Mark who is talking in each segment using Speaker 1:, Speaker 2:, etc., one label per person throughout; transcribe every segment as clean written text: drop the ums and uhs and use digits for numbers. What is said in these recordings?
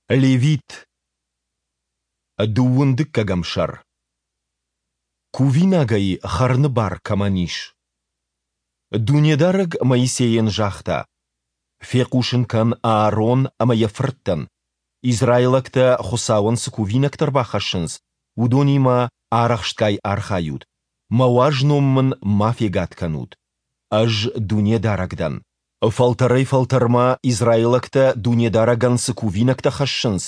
Speaker 1: Левит. Дыууын дыккӕгӕм сӕр. Кувинагӕй хӕрыны бар кӕмӕн ис? Дунедарӕг Моисейӕн загъта: «Фехъусын кӕн Аарон ӕмӕ йӕ фырттӕн, израилӕгтӕ Хуыцауӕн цы кувинӕгтӕ ӕрбахӕссынц, уыдонимӕ арӕхстгай архайут, мӕ уаз ном мын ма фегад кӕнут. Ӕз Дунедарӕг дӕн. Фӕлтӕрӕй-фӕлтӕрмӕ израилӕгтӕ Дунедарӕгӕн цы кувинӕгтӕ хӕссынц,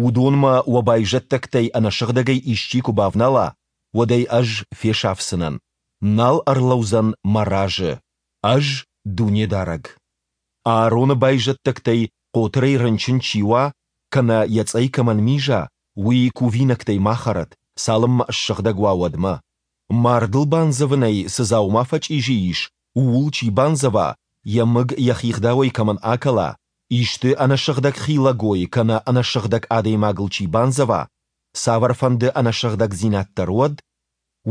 Speaker 1: уыдонмӕ уӕ байзӕддӕгтӕй ӕнӕсыгъдӕгӕй исчи куы бавнала, уӕд ӕй Ӕз фесафдзынӕн, нал ӕрлӕудзӕн Мӕ разы. Ӕз Дунедарӕг. Аароны байзӕддӕгтӕй хъотырӕй рынчын чи уа кӕнӕ йӕ цъӕй кӕмӕн миза, уый кувинӕгтӕй ма хӕрӕд, цалынмӕ ссыгъдӕг уа, уӕдмӕ. Мардыл бандзӕвынӕй цы дзаума фӕчъизи ис, ууыл чи бандзӕва, йӕ мыг йӕхи гъдауӕй кӕмӕн акӕла, исты ӕнӕсыгъдӕг хилӕгой кӕнӕ ӕнӕсыгъдӕг адӕймагыл чи бандзӕва, цавӕрфӕнды ӕнӕсыгъдӕгдзинад дӕр уӕд,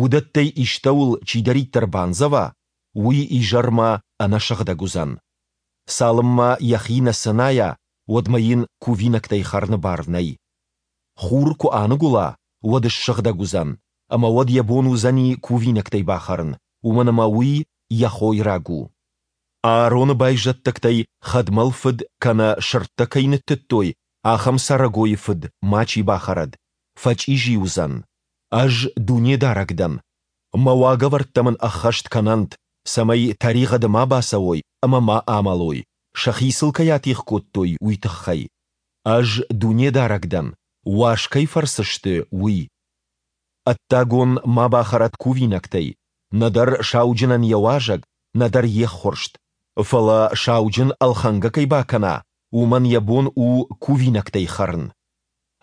Speaker 1: уыдӕттӕй истӕуыл чидӕриддӕр бандзӕва, уый изӕрмӕ ӕнӕсыгъдӕг уыдзӕн. Цалынмӕ йӕхи нӕ цынайа, уӕдмӕ йын кувинӕгтӕй хӕрыны бар нӕй. Хур куы аныгуыла, уӕд ссыгъдӕг уыдзӕн, ӕмӕ уӕд йӕ бон уыдзӕни кувинӕгтӕй бахӕрын, уымӕн ӕмӕ уый йӕ хойраг у. Аароны байзӕддӕгтӕй хӕдмӕл фыд кӕнӕ сырдтӕ кӕй ныттыдтой, ахӕм цӕрӕгойы фыд мачи бахӕрӕд, фӕчъизи уыдзӕн. Ӕз Дунедарӕг дӕн. Мӕ уагӕвӕрдтӕ мын ӕххӕст кӕнӕнт, цӕмӕй тӕригъӕды ма бацӕуой ӕмӕ ма амӕлой, сӕхи сыл кӕй атигъ кодтой, уый тыххӕй. Ӕз Дунедарӕг дӕн, уаз кӕй фӕрцы сты, уый. Ӕддагон ма бахӕрӕд кувинӕгтӕй, нӕдӕр сауджынӕн йӕ уазӕг, нӕдӕр йе ххуырст. Фӕлӕ сауджын ӕлхӕнгӕ кӕй бакӕна, уымӕн йӕ бон у кувинӕгтӕй хӕрын.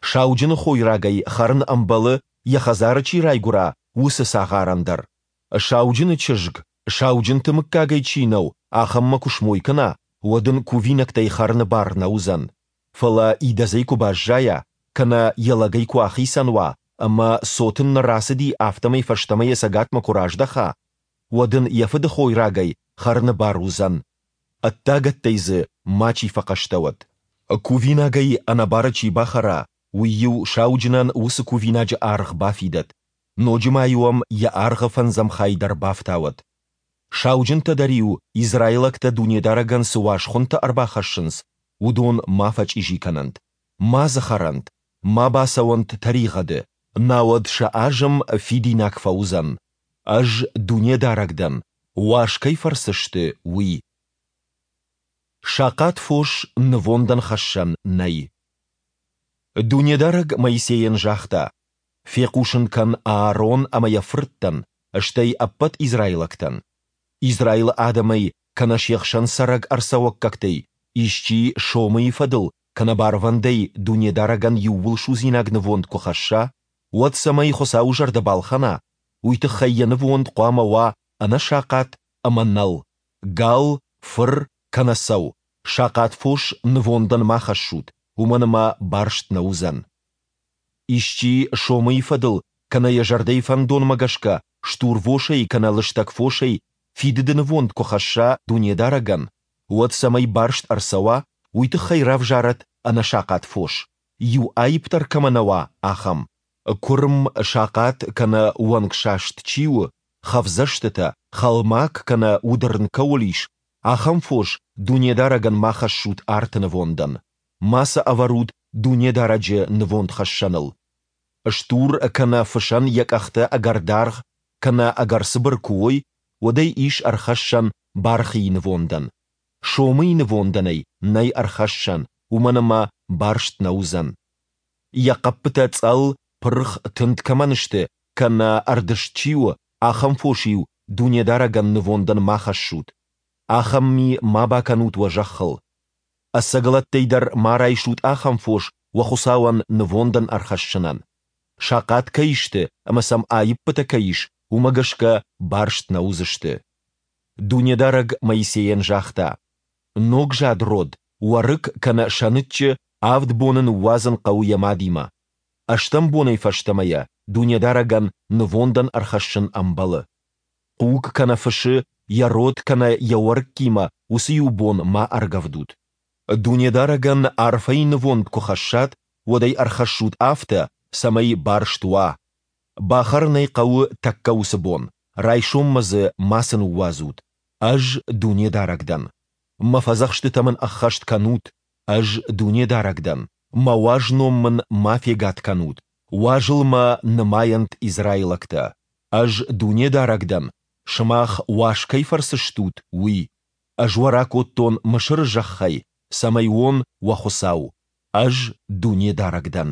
Speaker 1: Сауджыны хойрагӕй хӕрын ӕмбӕлы, йӕ хӕдзары чи райгуыра, уыцы цагъарӕн дӕр. Сауджыны чызг, сауджынты мыггагӕй чи нӕу, ахӕммӕ куы смой кӕна, уӕд ын кувинӕгтӕй хӕрыны бар нӕ уыдзӕн. Фӕлӕ идӕдзӕй куы баззайа, кӕнӕ йӕ лӕгӕй куы ахицӕн уа ӕмӕ цот ын нӕ рацыди, афтӕмӕй фӕстӕмӕ йӕ цӕгатмӕ куы раздӕха, уӕд ын йӕ фыды хойрагӕй хӕрыны бар уыдзӕн. Ӕддагӕттӕй дзы мачи фӕхъӕстӕ уӕд. Кувинагӕй ӕнӕбары чи бахӕра, уый-иу сауджынӕн уыцы кувинаджы аргъ бафидӕд, ноджы ма-иу ӕм йӕ аргъы фӕндзӕм хай дӕр бафтауӕд. Сауджынтӕ дӕр-иу, израилӕгтӕ Дунедарӕгӕн цы уаз хуынтӕ ӕрбахӕссынц, уыдон ма фӕчъизи кӕнӕнт, ма дзы хӕрӕнт, ма бацӕуӕнт тӕригъӕды, науӕд сӕ азым фидинаг фӕуыдзӕн. Ӕз Дунедарӕг дӕн, уаз кӕй фӕрцы сты, уый. Сахъат фос нывондӕн хӕссӕн нӕй. Дунедарӕг Моисейӕн загъта, Фехъусын кӕн Аарон ӕмӕ йӕ фырттӕн, стӕй ӕппӕт израилӕгтӕн: Израилы адӕмӕй кӕнӕ се хсӕн цӕрӕг ӕрцӕуӕггӕгтӕй исчи сомыйы фӕдыл кӕнӕ барвӕндӕй Дунедарӕгӕн иууылсудзинаг нывонд куы хӕсса, уӕд цӕмӕй Хуыцауы зӕрдӕ балхӕна, уый тыххӕй йӕ нывонд хъуамӕ уа ӕнӕсахъат ӕмӕ нӕл, гал, фыр кӕнӕ цӕу, сахъат фос нывондӕн ма хӕссут, уымӕн ӕмӕ барст нӕ уыдзӕн. Исчи сомыйы фӕдыл кӕнӕ йӕ зӕрдӕйы фӕндонмӕ гӕсгӕ стурвосӕй кӕнӕ лыстӕг фосӕй фидыды нывонд куы хӕсса Дунедарӕгӕн, уӕд цӕмӕй барст ӕрцӕуа, уый тыххӕй равзарӕд ӕнӕсахъат фос, иу аипп дӕр кӕмӕ нӕ уа, ахӕм. Куырм, сахъат кӕнӕ уӕнгсаст чи у, хӕфдзӕстытӕ, хӕлмаг кӕнӕ уыдырн кӕуыл ис, ахӕм фос Дунедарӕгӕн ма хӕссут арты нывондӕн. Ма сӕ ӕвӕрут Дунедарӕджы нывондхӕссӕныл. Стур кӕнӕ фысӕн йӕ къӕхтӕ ӕгӕр даргъ кӕнӕ ӕгӕр цыбыр куы уой, уӕд ӕй ис ӕрхӕссӕн бархийы нывондӕн. Сомыйы нывондӕн ӕй нӕй ӕрхӕссӕн, уымӕн ӕмӕ барст нӕ уыдзӕн. Йӕ хъӕппытӕ цъӕл, пырх, тынд кӕмӕн сты кӕнӕ ӕрдызт чи у, ахӕм фос-иу Дунедарӕгӕн нывондӕн ма хӕссут. Ахӕм ми ма бакӕнут уӕ зӕххыл. Ӕцӕгӕлӕттӕй дӕр ма райсут ахӕм фос уӕ Хуыцауӕн нывондӕн ӕрхӕссынӕн. Сахъат кӕй сты ӕмӕ сӕм аиппытӕ кӕй ис, уымӕ гӕсгӕ барст нӕ уыдзысты. Дунедарӕг Моисейӕн загъта, Ногзад род, уӕрыкк кӕнӕ сӕныччы авд боны ныууадзын хъӕуы йӕ мадимӕ. Ӕстӕм бонӕй фӕстӕмӕ йӕ Дунедарӕгӕн нывондӕн ӕрхӕссын ӕмбӕлы. Хъуг кӕнӕ фысы йӕ род кӕнӕ йӕ уӕрыккимӕ уыцы иу бон ма ӕргӕвдут. Дунедарӕгӕн арфӕйы нывонд куы хӕссат, уӕд ӕй ӕрхӕссут афтӕ, цӕмӕй барст уа. Бахӕрын ӕй хъӕуы тӕккӕ уыцы бон, райсоммӕ дзы мацы ныууадзут. Ӕз Дунедарӕг дӕн. Мӕ фӕдзӕхстытӕ мын ӕххӕст кӕнут. Ӕз Дунедарӕг дӕн. Мӕ уаз ном мын ма фегад кӕнут, уазыл мӕ нымайӕнт израилӕгтӕ. Ӕз Дунедарӕг дӕн, сымах уаз кӕй фӕрцы стут, уый. Ӕз уӕ ракодтон Мысыры зӕххӕй, цӕмӕй уон уӕ Хуыцау. Ӕз Дунедарӕг дӕн.